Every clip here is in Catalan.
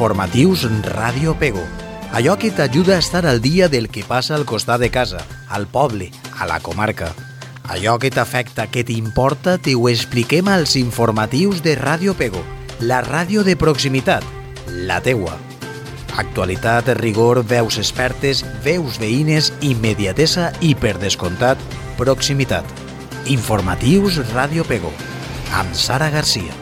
Informatius Ràdio Pego. Allò que t'ajuda a estar al dia del que passa al costat de casa, al poble, a la comarca. Allò que t'afecta, que t'importa, t'ho expliquem als informatius de Ràdio Pego, la ràdio de proximitat, la teua. Actualitat, rigor, veus expertes, veus veïnes, immediatesa i, per descomptat, proximitat. Informatius Ràdio Pego, amb Sara Garcia.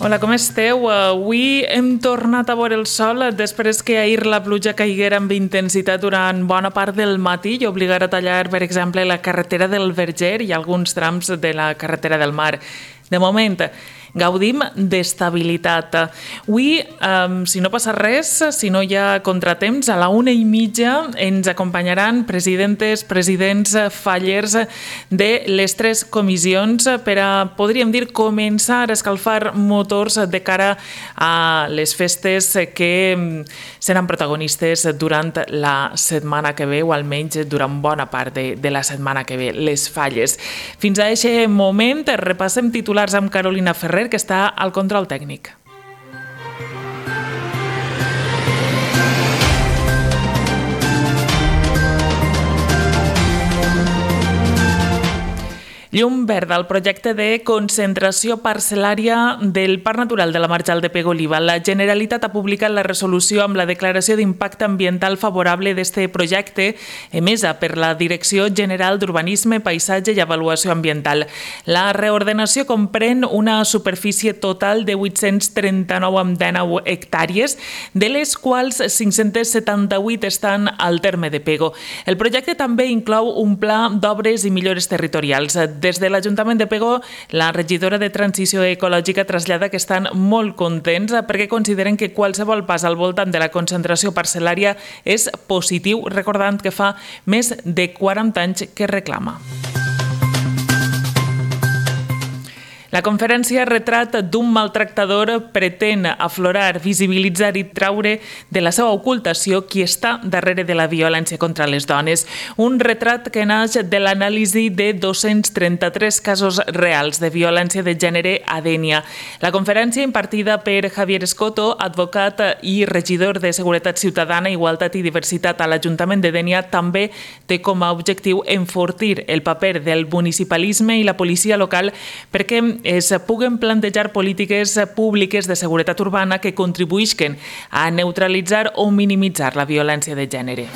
Hola, com esteu? Avui hem tornat a veure el sol després que ahir la pluja caiguera amb intensitat durant bona part del matí i obligara a tallar, per exemple, la carretera del Verger i alguns trams de la carretera del Mar. De moment, gaudim d'estabilitat. Avui, si no passa res, si no hi ha contratemps, a la 1:30 ens acompanyaran presidents, fallers de les 3 comissions per a, podríem dir, començar a escalfar motors de cara a les festes que seran protagonistes durant la setmana que ve, o almenys durant bona part de la setmana que ve, les falles. Fins a aquest moment, repassem titulars amb Carolina Ferrer, que està al control tècnic. Llum verda al projecte de concentració parcel·lària del Parc Natural de la Marjal de Pego-Oliva. La Generalitat ha publicat la resolució amb la declaració d'impacte ambiental favorable d'aquest projecte emesa per la Direcció General d'Urbanisme, Paisatge i Avaluació Ambiental. La reordenació comprèn una superfície total de 839,19 hectàrees, de les quals 578 estan al terme de Pego. El projecte també inclou un pla d'obres i millores territorials. Des de l'Ajuntament de Pego, la regidora de Transició Ecològica trasllada que estan molt contents perquè consideren que qualsevol pas al voltant de la concentració parcel·lària és positiu, recordant que fa més de 40 anys que reclama. La conferència Retrat d'un maltractador pretén aflorar, visibilitzar i traure de la seva ocultació qui està darrere de la violència contra les dones. Un retrat que naix de l'anàlisi de 233 casos reals de violència de gènere a Dénia. La conferència, impartida per Javier Escoto, advocat i regidor de Seguretat Ciutadana, Igualtat i Diversitat a l'Ajuntament de Dénia, també té com a objectiu enfortir el paper del municipalisme i la policia local perquè es puguen plantejar polítiques públiques de seguretat urbana que contribuïsquen a neutralitzar o minimitzar la violència de gènere.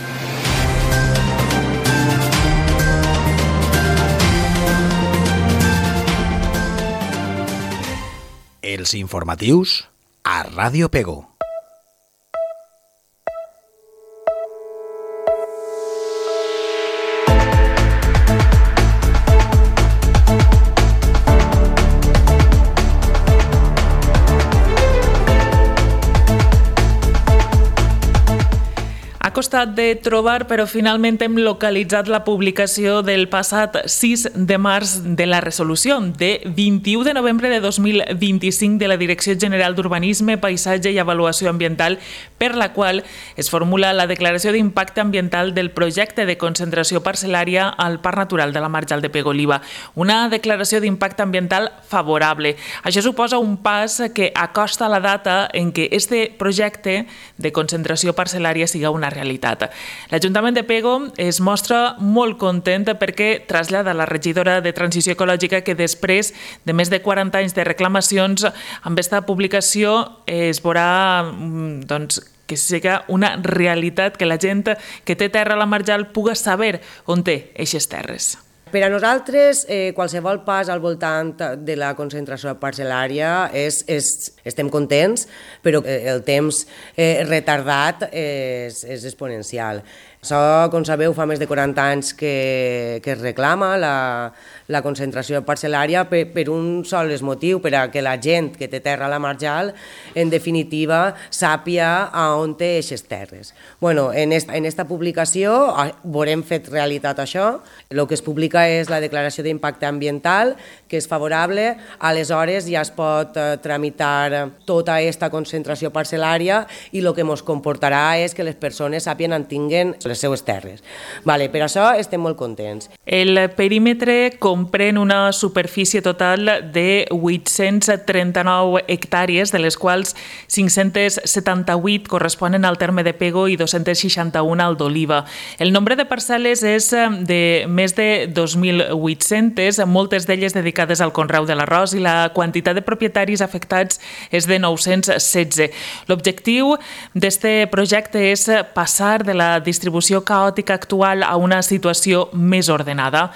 Els informatius a Ràdio Pego. Ha costat de trobar, però finalment hem localitzat la publicació del passat 6 de març de la resolució de 21 de novembre de 2025 de la Direcció General d'Urbanisme, Paisatge i Avaluació Ambiental, per la qual es formula la declaració d'impacte ambiental del projecte de concentració parcel·lària al Parc Natural de la Marjal de Pego-Oliva. Una declaració d'impacte ambiental favorable. Això suposa un pas que acosta la data en què este projecte de concentració parcel·lària siga una realitat. L'Ajuntament de Pego es mostra molt content perquè trasllada a la regidora de Transició Ecològica que després de més de 40 anys de reclamacions, amb aquesta publicació es veurà que siga una realitat, que la gent que té terra a la Marjal puga saber on té aquestes terres. Per a nosaltres, qualsevol pas al voltant de la concentració parcel·lària estem contents, però el temps retardat és exponencial. Això, com sabeu, fa més de 40 anys que es reclama la concentració parcel·lària per un sol motiu, per a que la gent que té terra a la marjal, en definitiva, sàpia on té aquestes terres. Bueno, en esta publicació veurem fet realitat això. El que es publica és la declaració d'impacte ambiental, que és favorable, aleshores ja es pot tramitar tota aquesta concentració parcel·lària i el que ens comportarà és que les persones sàpien on tinguen les seues terres. Vale, per això estem molt contents. El perímetre comprèn una superfície total de 839 hectàrees, de les quals 578 corresponen al terme de Pego i 261 al d'Oliva. El nombre de parcel·les és de més de 2.800, moltes d'elles dedicades al conreu de l'arròs, i la quantitat de propietaris afectats és de 916. L'objectiu d'este projecte és passar de la distribució caòtica actual a una situació més ordenada.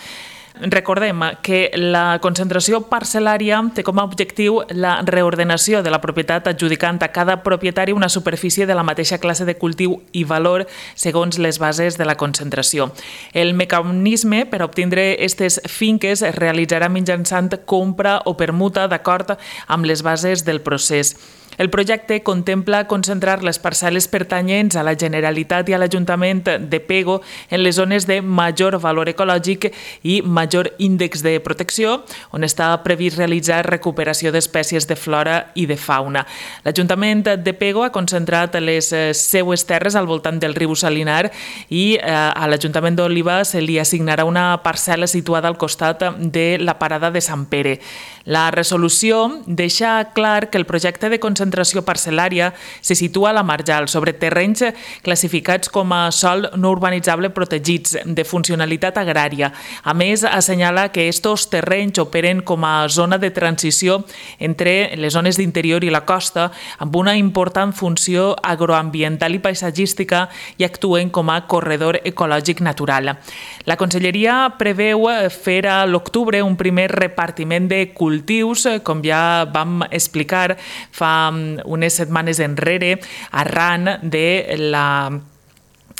Recordem que la concentració parcel·lària té com a objectiu la reordenació de la propietat, adjudicant a cada propietari una superfície de la mateixa classe de cultiu i valor segons les bases de la concentració. El mecanisme per obtindre aquestes finques es realitzarà mitjançant compra o permuta d'acord amb les bases del procés. El projecte contempla concentrar les parcel·les pertanyents a la Generalitat i a l'Ajuntament de Pego en les zones de major valor ecològic i major índex de protecció, on està previst realitzar recuperació d'espècies de flora i de fauna. L'Ajuntament de Pego ha concentrat les seues terres al voltant del riu Salinar i a l'Ajuntament d'Oliva se li assignarà una parcel·la situada al costat de la parada de Sant Pere. La resolució deixa clar que el projecte de concentració parcel·lària se situa a la marjal, sobre terrenys classificats com a sòl no urbanitzable protegits de funcionalitat agrària. A més, assenyala que estos terrenys operen com a zona de transició entre les zones d'interior i la costa, amb una important funció agroambiental i paisatgística, i actuen com a corredor ecològic natural. La Conselleria preveu fer a l'octubre un primer repartiment de cultius, com ja vam explicar fa unes setmanes enrere, arran de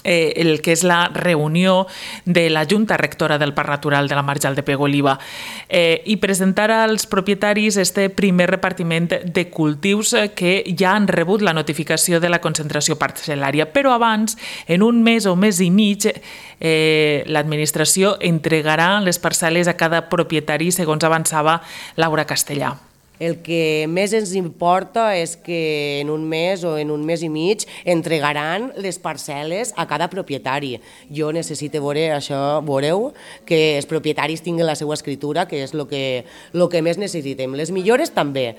el que és la reunió de la Junta Rectora del Parc Natural de la Marjal de Pego-Oliva, i presentar als propietaris este primer repartiment de cultius que ja han rebut la notificació de la concentració parcel·lària. Però abans, en un mes o mes i mig, l'administració entregarà les parcel·les a cada propietari, segons avançava Laura Castellà. El que més ens importa és que en un mes o en un mes i mig entregaran les parcel·les a cada propietari. Jo necessito veure això, veureu, que els propietaris tinguin la seva escritura, que és el que més necessitem. Les millores també,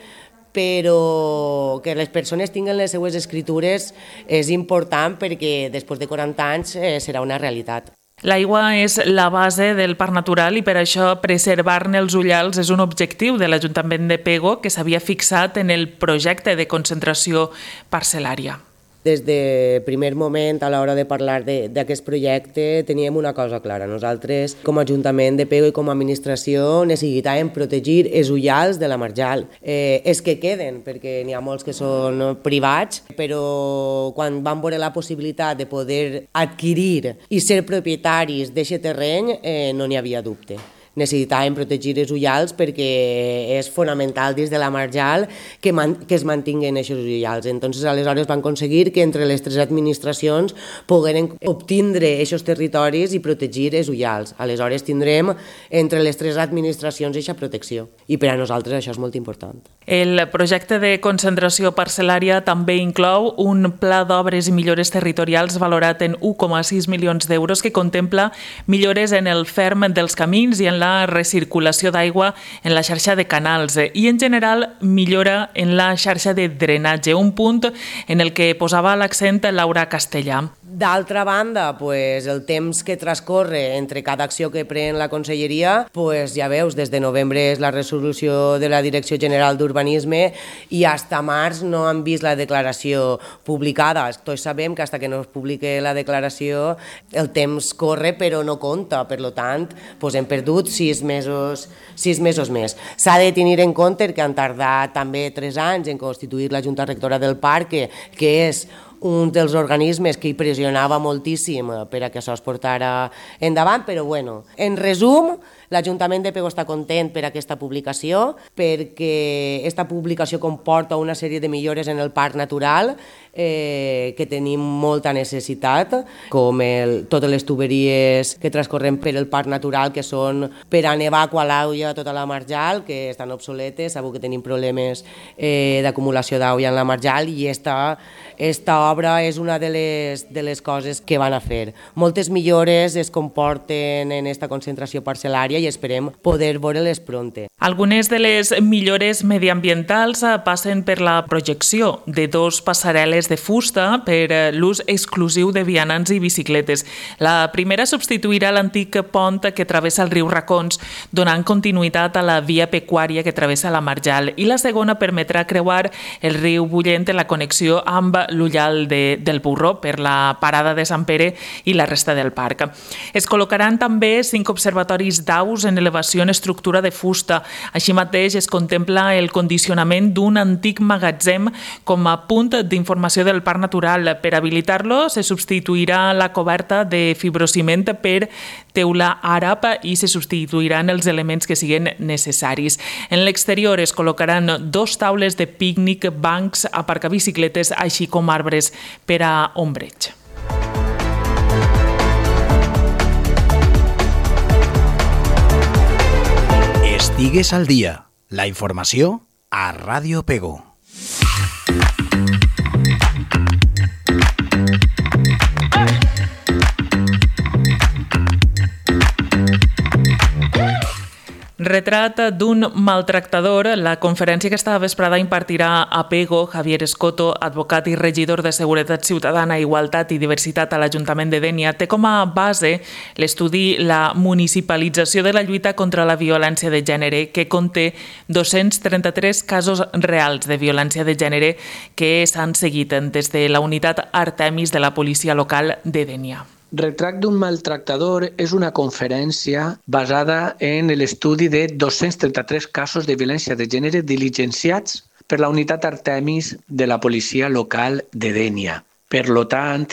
però que les persones tinguin les seues escritures és important perquè després de 40 anys serà una realitat. L'aigua és la base del parc natural i per això preservar-ne els ullals és un objectiu de l'Ajuntament de Pego que s'havia fixat en el projecte de concentració parcel·lària. Des de primer moment, a l'hora de parlar d'aquest projecte, teníem una cosa clara. Nosaltres, com a Ajuntament de Pego i com a administració, necessitàvem protegir els ullals de la marjal. Els que queden, perquè n'hi ha molts que són privats, però quan vam veure la possibilitat de poder adquirir i ser propietaris d'aquest terreny, no n'hi havia dubte. Necessitàvem protegir els ullals perquè és fonamental dins de la marjal que es mantinguen aquests ullals. Entonces, aleshores van aconseguir que entre les tres administracions pogueren obtindre aquests territoris i protegir els ullals. Aleshores tindrem entre les tres administracions aquesta protecció i per a nosaltres això és molt important. El projecte de concentració parcel·lària també inclou un pla d'obres i millores territorials valorat en 1,6 milions d'euros que contempla millores en el ferm dels camins i en la recirculació d'aigua en la xarxa de canals i, en general, millora en la xarxa de drenatge, un punt en el que posava l'accent Laura Castellà. D'altra banda, el temps que transcorre entre cada acció que pren la Conselleria, ja veus, des de novembre és la resolució de la Direcció General d'Urbanisme i fins a març no han vist la declaració publicada. Tots sabem que fins que no es publiqui la declaració el temps corre però no compta, per tant hem perdut 6 mesos més. S'ha de tenir en compte que han tardat també 3 anys en constituir la Junta Rectora del Parc, que és un dels organismes que hi pressionava moltíssim per a que això es portara endavant, però bueno, en resum, l'Ajuntament de Pego està content per aquesta publicació, perquè aquesta publicació comporta una sèrie de millores en el parc natural que tenim molta necessitat, com totes les tuberies que transcorren per el parc natural, que són per a Nevaco, a l'Auia, tota la marjal, que estan obsoletes, sabeu que tenim problemes d'acumulació d'aigua en la marjal, i esta obra és una de les coses que van a fer. Moltes millores es comporten en esta concentració parcel·lària i esperem poder veure-les pronte. Algunes de les millores mediambientals passen per la projecció de 2 passarel·les de fusta per l'ús exclusiu de vianants i bicicletes. La primera substituirà l'antic pont que travessa el riu Racons, donant continuïtat a la via pecuària que travessa la marjal, i la segona permetrà creuar el riu Bullent en la connexió amb l'Ullal del Burro per la parada de Sant Pere i la resta del parc. Es col·locaran també 5 observatoris d'aus en elevació en estructura de fusta. Així mateix es contempla el condicionament d'un antic magatzem com a punt d'informació del parc natural. Per habilitar-lo se substituirà la coberta de fibrociment per teula àrab i se substituiran els elements que siguin necessaris. En l'exterior es col·locaran 2 taules de pícnic, bancs, aparcabicicletes, així com arbres per a ombreig. Estigues al dia. La informació a Ràdio Pego. Retrat d'un maltractador, la conferència que esta vesprada impartirà a Pego Javier Escoto, advocat i regidor de Seguretat Ciutadana, Igualtat i Diversitat a l'Ajuntament de Dénia, té com a base l'estudi La municipalització de la lluita contra la violència de gènere, que conté 233 casos reals de violència de gènere que s'han seguit des de la unitat Artemis de la policia local de Dénia. Retrat d'un maltractador és una conferència basada en l'estudi de 233 casos de violència de gènere diligenciats per la unitat Artemis de la policia local de Dénia. Per tant,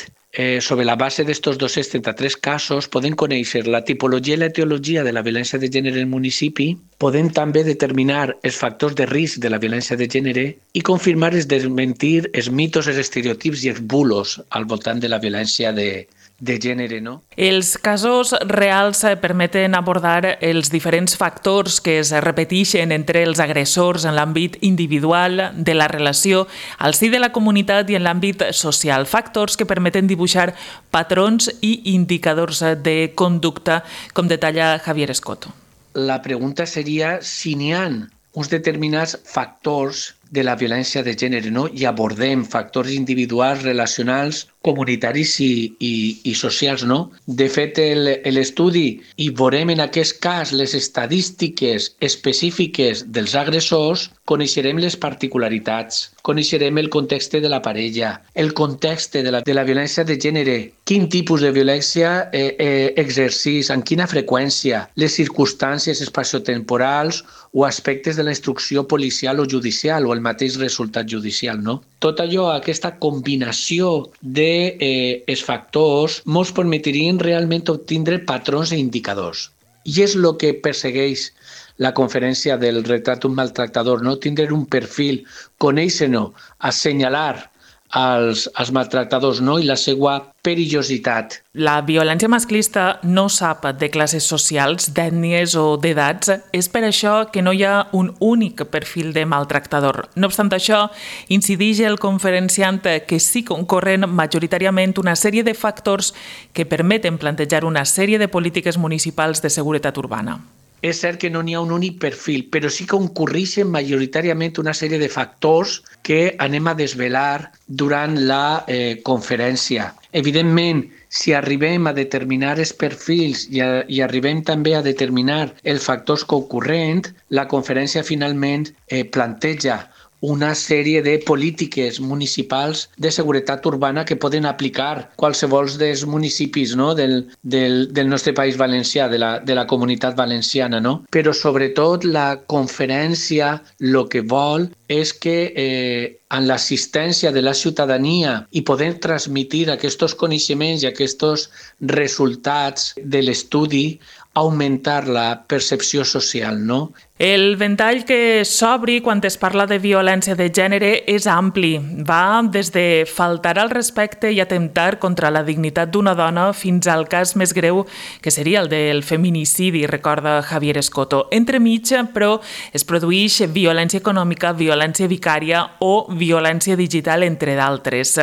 sobre la base d'estos 233 casos podem conèixer la tipologia i l'etiologia de la violència de gènere en el municipi, podem també determinar els factors de risc de la violència de gènere i confirmar i desmentir els mitos, els estereotips i els bulos al voltant de la violència de gènere, no? Els casos reals permeten abordar els diferents factors que es repeteixen entre els agressors en l'àmbit individual de la relació, al si de la comunitat i en l'àmbit social. Factors que permeten dibuixar patrons i indicadors de conducta, com detalla Javier Escoto. La pregunta seria si n'hi ha uns determinats factors de la violència de gènere, no? I abordem factors individuals, relacionals, comunitaris i socials, no? De fet, l'estudi i veurem en aquest cas les estadístiques específiques dels agressors, coneixerem les particularitats, coneixerem el context de la parella, el context de la violència de gènere, quin tipus de violència exercís, en quina freqüència, les circumstàncies espaciotemporals o aspectes de la instrucció policial o judicial o el mateix resultat judicial, no? Tot allò, aquesta combinació dels factors, ens permetrien realment obtindre patrons i indicadors. I és el que persegueix la conferència del retrat d'un maltractador, no? Tindre un perfil, conèixer-no, assenyalar als maltractadors, no? I la seva perillositat. La violència masclista no sap de classes socials, d'ètnies o d'edats. És per això que no hi ha un únic perfil de maltractador. No obstant això, incideix el conferenciant que sí concorren majoritàriament una sèrie de factors que permeten plantejar una sèrie de polítiques municipals de seguretat urbana. És cert que no n'hi ha un únic perfil, però sí que concurreixen majoritàriament una sèrie de factors que anem a desvelar durant la conferència. Evidentment, si arribem a determinar els perfils i arribem també a determinar els factors concurrents, la conferència finalment planteja una sèrie de polítiques municipals de seguretat urbana que poden aplicar qualsevol dels municipis, no? del nostre país valencià, de la comunitat valenciana. No? Però sobretot la conferència el que vol és que en l'assistència de la ciutadania i poder transmitir aquests coneixements i aquests resultats de l'estudi, augmentar la percepció social, no? El ventall que s'obri quan es parla de violència de gènere és ampli. Va des de faltar al respecte i atemptar contra la dignitat d'una dona fins al cas més greu, que seria el del feminicidi, recorda Javier Escoto. Entremig, però, es produeix violència econòmica, violència vicària o violència digital, entre d'altres.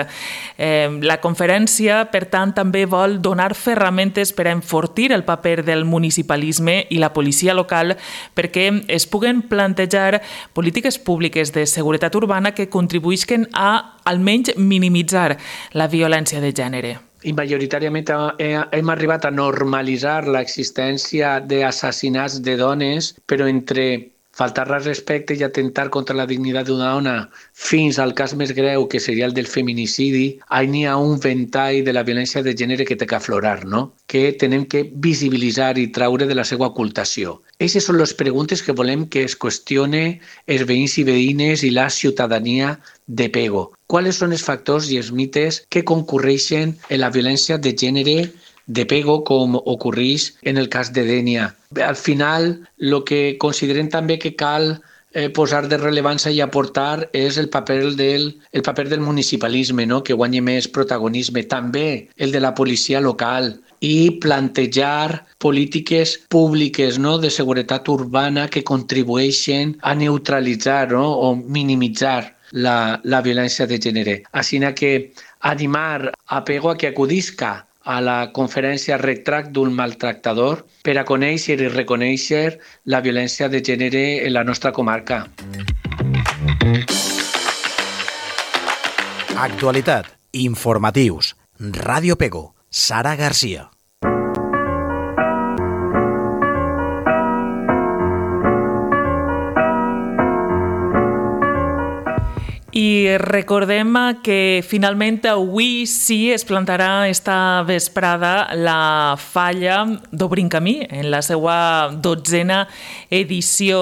La conferència, per tant, també vol donar ferramentes per a enfortir el paper del municipalisme i la policia local perquè es puguen plantejar polítiques públiques de seguretat urbana que contribuïsquen a almenys minimitzar la violència de gènere. I majoritàriament hem arribat a normalitzar l'existència d'assassinats de dones, però entre faltar al respecte i atentar contra la dignitat d'una dona fins al cas més greu, que seria el del feminicidi, n'hi ha un ventall de la violència de gènere que té que aflorar, no? Que tenem que visibilitzar i traure de la seva ocultació. Aquestes són les preguntes que volem que es qüestione els veïns i veïnes i la ciutadania de Pego. Quals són els factors i els mites que concurreixen en la violència de gènere de Pego, com ocorreix en el cas de Dénia? Al final, el que considerem també que cal posar de rellevància i aportar és el paper del municipalisme, no? Que guanyi més protagonisme. També el de la policia local i plantejar polítiques públiques, no? De seguretat urbana que contribueixen a neutralitzar, no? O minimitzar la violència de gènere. Així que animar a Pego a que acudisca a la conferència Retract d'un maltractador per a conèixer i reconèixer la violència de gènere en la nostra comarca. Actualitat, informatius, Ràdio Pego, Sara Garcia. I recordem que finalment avui sí es plantarà esta vesprada la falla d'Obrim Camí en la seva 12a edició.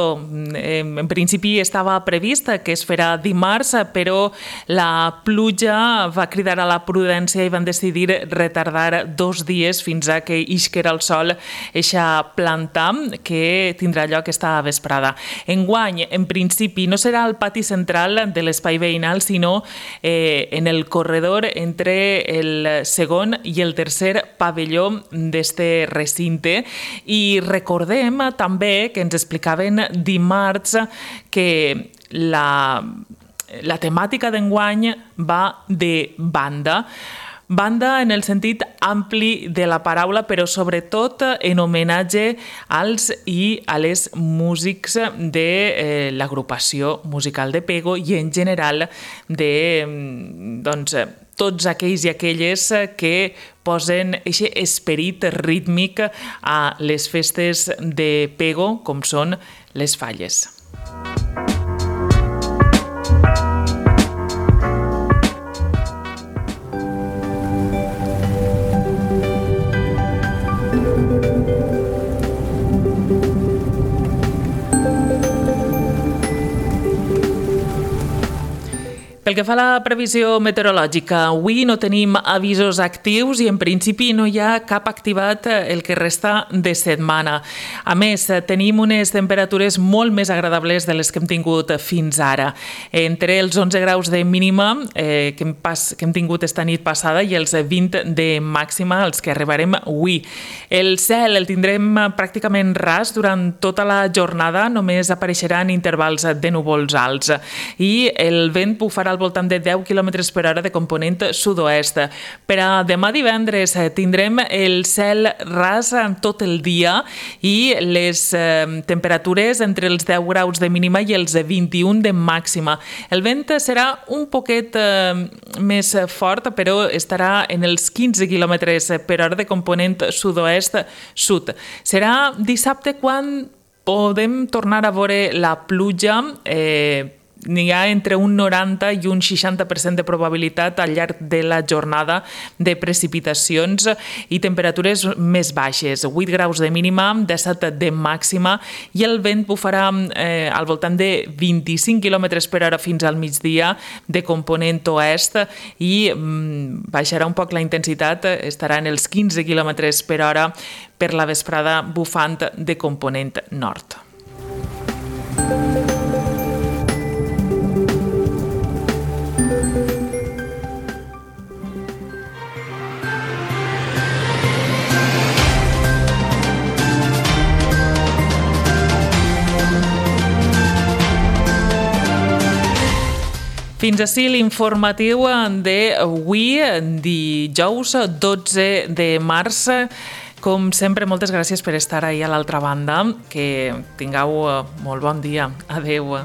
En principi estava previst que es farà dimarts, però la pluja va cridar a la prudència i van decidir retardar 2 dies fins a que isquera el sol eixa planta que tindrà lloc esta vesprada. Enguany, en principi, no serà al pati central de l'espai veïnal, sinó en el corredor entre el segon i el tercer pavelló d'este recinte. I recordem també que ens explicaven dimarts que la temàtica d'enguany va de banda. Banda en el sentit ampli de la paraula, però sobretot en homenatge als i a les músics de l'agrupació musical de Pego i en general de tots aquells i aquelles que posen aquest esperit rítmic a les festes de Pego, com són les falles. Pel que fa a la previsió meteorològica, avui no tenim avisos actius i en principi no hi ha cap activat el que resta de setmana. A més, tenim unes temperatures molt més agradables de les que hem tingut fins ara. Entre els 11 graus de mínima que hem tingut esta nit passada i els 20 de màxima als que arribarem avui. El cel el tindrem pràcticament ras durant tota la jornada, només apareixeran intervals de núvols alts i el vent bufarà al voltant de 10 km per hora de component sud-oest. Per a demà divendres tindrem el cel ras tot el dia i les temperatures entre els 10 graus de mínima i els 21 de màxima. El vent serà un poquet més fort, però estarà en els 15 km per hora de component sud-oest-sud. Serà dissabte quan podem tornar a veure la pluja n'hi ha entre un 90 i un 60% de probabilitat al llarg de la jornada de precipitacions i temperatures més baixes, 8 graus de mínima, 17 de màxima, i el vent bufarà al voltant de 25 km per hora fins al migdia de component oest i baixarà un poc la intensitat, estarà en els 15 km per hora per la vesprada bufant de component nord. Fins ací l'informatiu d'avui, dijous 12 de març. Com sempre, moltes gràcies per estar ahí a l'altra banda. Que tingueu molt bon dia. Adéu.